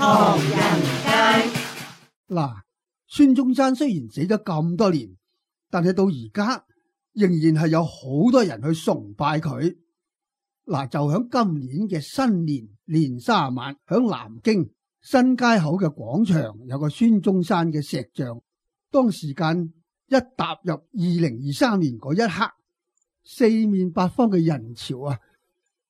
唐人街。嗱，孫中山雖然死咗咁多年，但係到而家仍然係有好多人去崇拜佢。嗱，就響今年嘅新年年卅晚，響南京新街口嘅廣場有個孫中山嘅石像。當時間一踏入2023年嗰一刻，四面八方嘅人潮啊，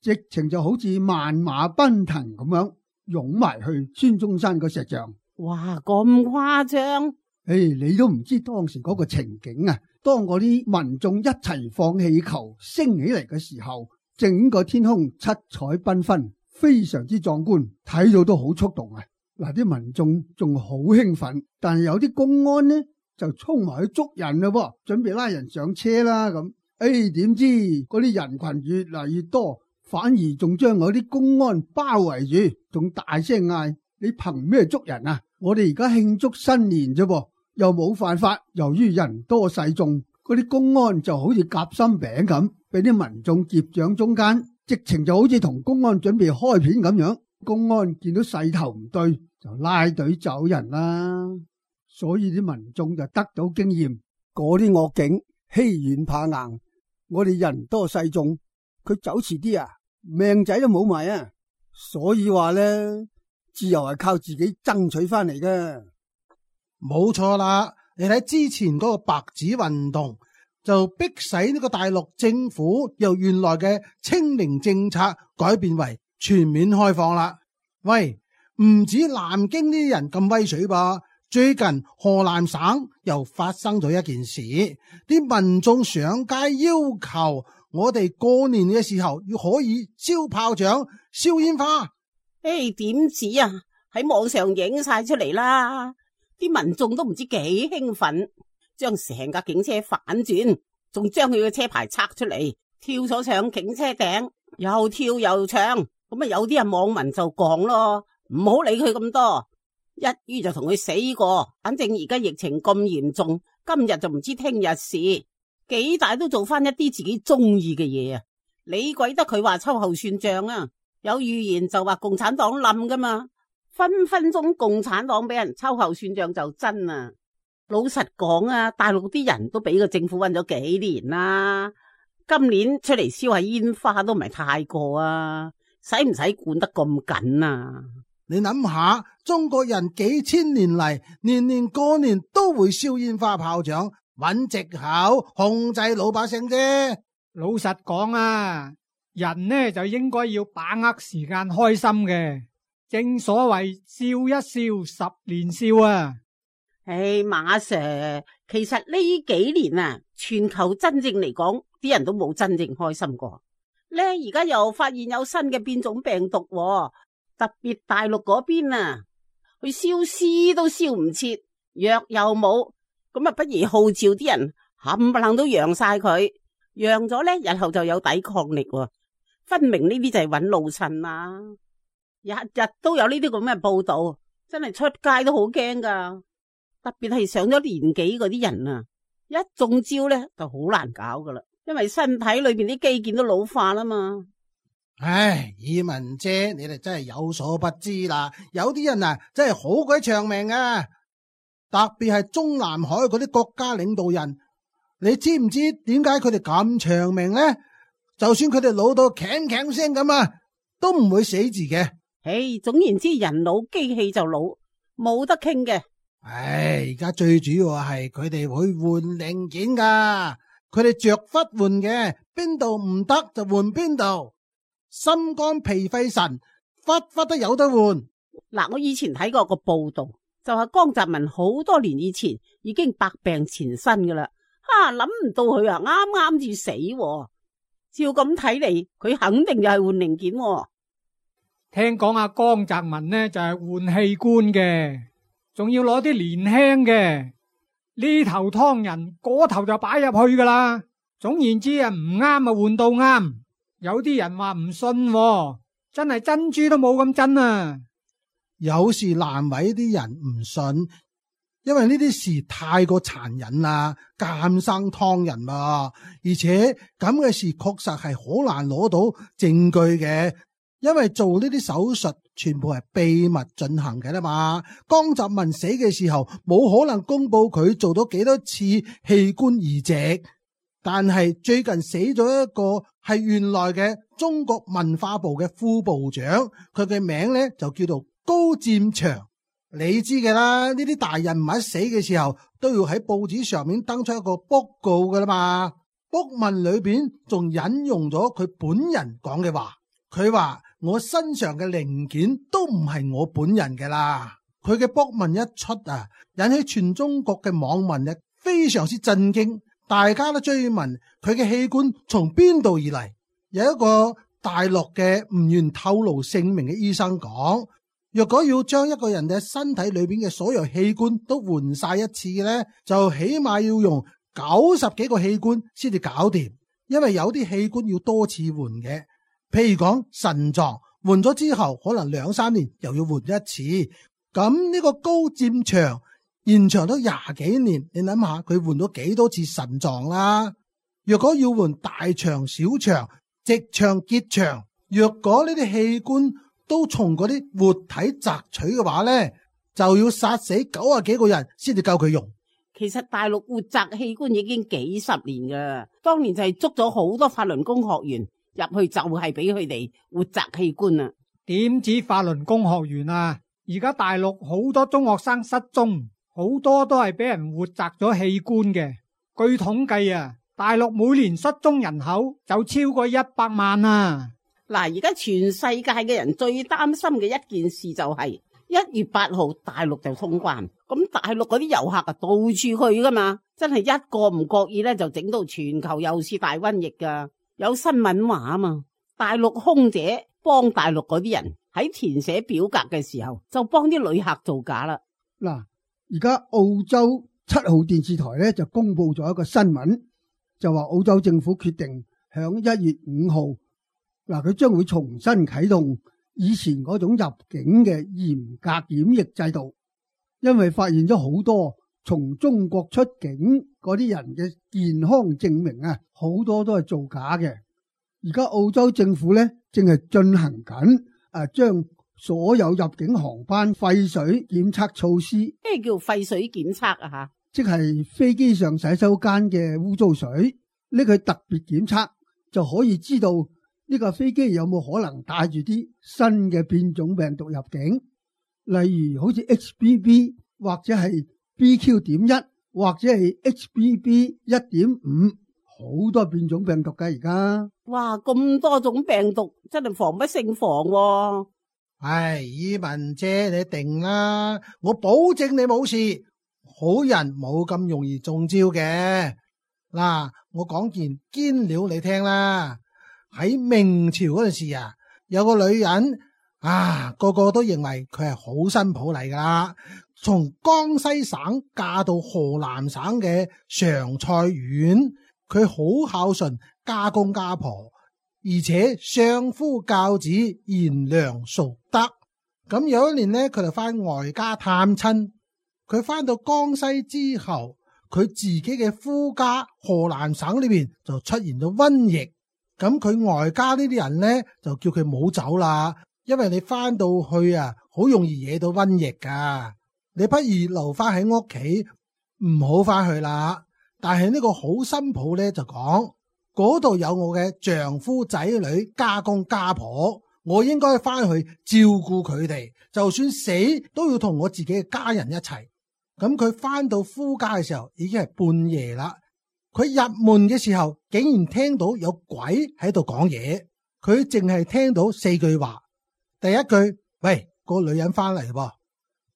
直情就好似萬馬奔騰咁樣湧埋去孫中山個石像。哇，咁誇張！你都唔知當時嗰個情景啊！當嗰啲民眾一齊放氣球升起嚟嘅時候，整個天空七彩繽紛，非常之壯觀，睇到都好觸動啊！嗱，啲民眾仲好興奮，但係有啲公安呢就衝埋去捉人啦，準備拉人上車啦咁。點知嗰啲人群越嚟越多，反而仲將嗰啲公安包圍住，仲大聲嗌：你憑咩捉人啊？我哋而家慶祝新年啫噃，又冇犯法。由於人多勢眾，嗰啲公安就好似夾心餅咁，俾啲民眾夾掌中間，直情就好似同公安準備開片咁樣。公安見到勢頭唔對，就拉隊走人啦。所以啲民眾就得到經驗，嗰啲惡警欺軟怕硬，我哋人多勢眾，佢走遲啲啊，命仔都冇埋啊。所以話咧，自由係靠自己爭取翻嚟嘅。冇錯啦，你睇之前嗰個白紙運動就逼使呢個大陸政府由原來嘅清零政策改變為全面開放啦。喂，唔止南京呢啲人咁威水噃，最近河南省又發生咗一件事，啲民眾上街要求我哋過年嘅時候要可以燒炮仗、燒煙花。點止啊，喺網上影晒出嚟啦，啲民眾都唔知幾興奮，將成架警車反轉，仲將佢嘅車牌拆出嚟，跳咗上警車頂，又跳又唱。咁啊，有啲人網民就講咯，唔好理佢咁多，一於就同佢死過。反正而家疫情咁嚴重，今日就唔知聽日事，幾大都做翻一啲自己中意嘅嘢啊！理鬼得佢話秋後算賬啊！有預言就話共產黨冧噶嘛，分分鐘共產黨俾人秋後算賬就真啊！老實講啊，大陸啲人都俾個政府韞咗幾年啦，今年出嚟燒下煙花都唔係太過啊，使唔使管得咁緊啊？你諗下，中國人幾千年嚟，年年過年都會燒煙花炮仗，揾藉口控制老百姓啫。老實講啊，人呢就應該要把握時間開心嘅，正所謂笑一笑，十年少啊。馬 Sir， 其實呢幾年啊，全球真正嚟講，啲人都冇真正開心過。呢而家又發現有新嘅變種病毒喎，特別大陸嗰邊啊，去燒屍都燒唔切，藥又冇，咁啊不如號召啲人冚唪唥都陽晒佢，陽咗呢，日後就有抵抗力喎。分明呢啲就係揾老襯啦，日日都有呢啲咁嘅報道，真係出街都好驚噶。特別係上咗年紀嗰啲人啊，一中招呢就好難搞噶啦，因為身體裏邊啲肌腱都老化啦嘛。唉，以文姐，你哋真係有所不知啦，有啲人啊真係好鬼長命啊，特別係中南海嗰啲國家領導人，你知唔知點解佢哋咁長命呢？就算佢哋老到鏗鏗聲咁啊，都唔會死字嘅。總言之，人老機器就老，冇得傾嘅。而家最主要係佢哋會換零件噶，佢哋着忽換嘅，邊度唔得就換邊度，心肝脾肺腎忽忽都有得換。嗱，我以前睇過個報道，就話江澤民好多年以前已經百病纏身噶啦，諗唔到佢啊啱啱至死喎。照咁睇嚟，佢肯定就係換零件喎。聽講阿江澤民呢就係換器官嘅，仲要攞啲年輕嘅，呢頭劏人，嗰頭就擺入去噶啦。總言之啊，唔啱啊換到啱。有啲人話唔信喎，真係珍珠都冇咁真啊。有時難為啲人唔信，因為呢啲事太過殘忍啦，監生劏人嘛，而且咁嘅事確實係好難攞到證據嘅，因為做呢啲手術全部係秘密進行嘅啦嘛。江澤民死嘅時候冇可能公布佢做咗幾多次器官移植，但係最近死咗一個係原來嘅中國文化部嘅副部長，佢嘅名呢就叫做高占祥。你知嘅啦，呢啲大人物死嘅時候都要喺報紙上面登出一個卜告噶啦嘛。卜文裏邊仲引用咗佢本人講嘅話，佢話我身上嘅零件都唔係我本人嘅啦。佢嘅卜文一出啊，引起全中國嘅網民呢非常之震驚，大家都追問佢嘅器官從邊度而嚟。有一個大陸嘅唔願透露姓名嘅醫生講，若果要將一個人嘅身體裏邊嘅所有器官都換晒一次呢，就起碼要用90幾個器官先至搞掂，因為有啲器官要多次換嘅，譬如講腎臟換咗之後可能2-3年又要換一次。咁呢個高占祥延長咗20幾年，你諗下佢換咗幾多次腎臟啦？若果要換大腸、小腸、直腸、結腸，若果呢啲器官都從嗰啲活體摘取嘅話呢，就要殺死90幾個人先至夠佢用。其實大陸活摘器官已經幾十年噶，當年就係捉咗好多法輪功學員入去，就係俾佢哋活摘器官啊。點止法輪功學員啊，而家大陸好多中學生失蹤，好多都係俾人活摘咗器官嘅。據統計啊，大陸每年失蹤人口就超過100萬啊。嗱，而家全世界嘅人最擔心嘅一件事就係1月8號大陸就通關，咁大陸嗰啲遊客啊到處去噶嘛，真係一個唔覺意咧就整到全球又是大瘟疫噶。有新聞話啊嘛，大陸空姐幫大陸嗰啲人喺填寫表格嘅時候就幫啲旅客造假啦。嗱，而家澳洲7號電視台咧就公布咗一個新聞，就話澳洲政府決定響1月5號，嗱，佢將會重新啟動以前嗰種入境嘅嚴格檢疫制度，因為發現咗好多從中國出境嗰啲人嘅健康證明啊，好多都係造假嘅。而家澳洲政府咧正係進行緊將所有入境航班廢水檢測措施。咩叫廢水檢測啊？吓，即係飛機上洗手間嘅污糟水，呢個特別檢測就可以知道呢個飛機有冇可能帶住啲新嘅變種病毒入境，例如好似 XBB 或者係 BQ.1 或者係 XBB.1.5， 好多變種病毒㗎而家。哇，咁多種病毒真係防不勝防喎。唉，以文姐你定啦，我保證你冇事，好人冇咁容易中招嘅。嗱，我講件堅料你聽啦。喺明朝嗰陣時啊，有個女人啊，個個都認為佢係好新抱嚟噶啦，從江西省嫁到河南省嘅常菜縣，佢好孝順，家公家婆，而且相夫教子，賢良淑德。咁有一年呢，佢就翻外家探親，佢翻到江西之後，佢自己嘅夫家河南省呢邊就出現咗瘟疫。咁佢外家呢啲人呢，就叫佢唔好走啦，因為你翻到去啊，好容易惹到瘟疫噶。你不如留翻喺屋企，唔好翻去啦。但係呢個好新抱呢，就講，嗰度有我嘅丈夫仔女、家公家婆，我應該翻去照顧佢哋，就算死都要同我自己嘅家人一齊。咁佢翻到夫家嘅時候，已經係半夜啦。佢入門嘅時候，竟然聽到有鬼喺度講嘢。佢淨係聽到4句話。第一句，喂，個女人翻嚟喎。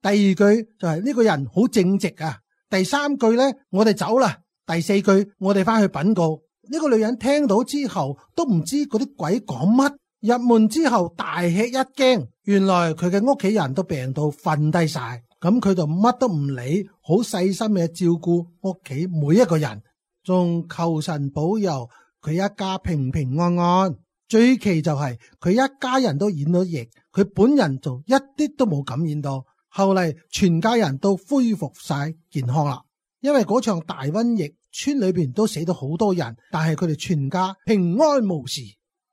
第二句就係呢個人好正直啊。第3句呢，我哋走啦。第4句，我哋翻去稟告。呢個女人聽到之後都唔知嗰啲鬼講乜。入門之後大吃一驚，原來佢嘅屋企人都病到瞓低晒。咁佢就乜都唔理，好細心嘅照顧屋企每一個人。仲求神保佑佢一家平平安安。最奇就係佢一家人都染咗疫，佢本人就一啲都冇感染到。後嚟全家人都恢復晒健康啦。因為嗰場大瘟疫，村裏邊都死咗好多人，但係佢哋全家平安無事。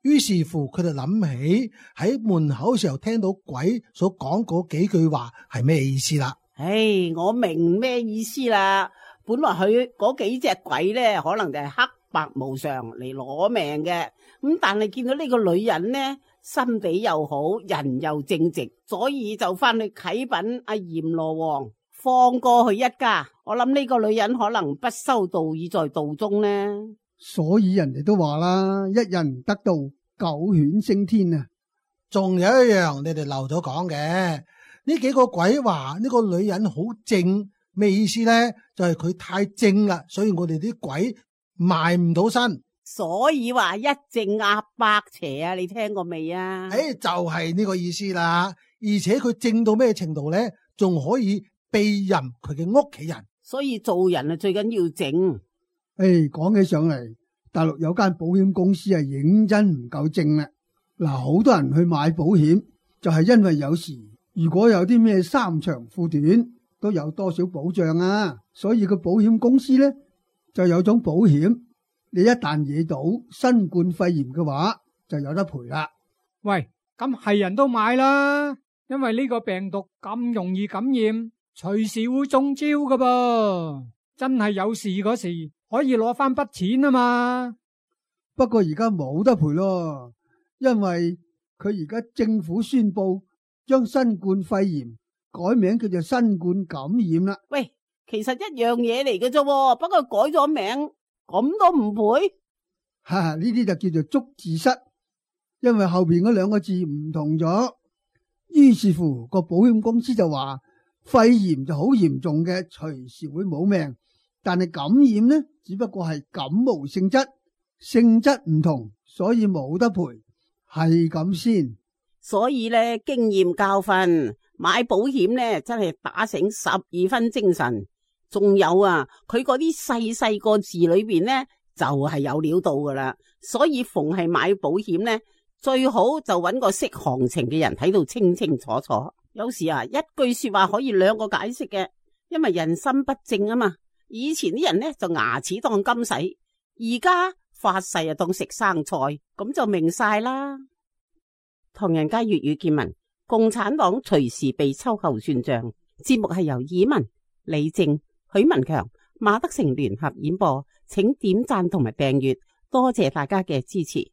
於是乎佢就諗起喺門口嘅時候聽到鬼所講嗰幾句話係咩意思啦。唉，我明咩意思啦。本來佢嗰幾隻鬼咧，可能就係黑白無常嚟攞命嘅。咁但係見到呢個女人呢，心地又好，人又正直，所以就翻去啟稟阿閻羅王，放過佢一家。我諗呢個女人可能不修道已在道中呢。所以人哋都話啦，一人得道，九犬升天啊！仲有一樣你哋漏咗講嘅，呢幾個鬼話呢個女人好正，咩意思呢？就係佢太正啦，所以我哋啲鬼埋唔到身。所以話一正壓百邪啊，你聽過未啊？就係呢個意思啦。而且佢正到咩程度呢？仲可以庇蔭佢嘅屋企人。所以做人啊，最緊要正。講起上嚟，大陸有間保險公司係認真唔夠正啦。嗱，好多人去買保險，就係因為有時如果有啲咩三長褲短，都有多少保障啊。所以個保險公司呢，就有種保險，你一旦惹到新冠肺炎嘅話，就有得賠啦。喂，咁係人都買啦，因為呢個病毒咁容易感染，隨時會中招噶噃。真係有事嗰時可以攞翻筆錢啊嘛。不過而家冇得賠咯，因為佢而家政府宣布將新冠肺炎改名叫做新冠感染啦。喂，其實一樣嘢嚟嘅啫，不過改咗名，咁都唔賠？呢啲就叫做捉字蝨，因為後邊嗰兩個字唔同咗。於是乎個保險公司就話，肺炎就好嚴重嘅，隨時會冇命。但係感染呢，只不過係感冒性質，性質唔同，所以冇得賠，係咁先。所以咧，經驗教訓，買保險咧真係打醒12分精神。仲有啊，佢嗰啲細細個字裏邊咧就係有料到噶啦。所以逢係買保險咧，最好就揾個識行情嘅人睇到清清楚楚。有時啊，一句說話可以兩個解釋嘅，因為人心不正啊嘛。以前啲人呢就牙齒當金使，而家發誓啊當食生菜，咁就明晒啦。唐人街粵語見聞，共產黨隨時被秋後算賬。節目係由以文、李正、許文強、馬德成聯合演播，請點讚同埋訂閱，多謝大家嘅支持。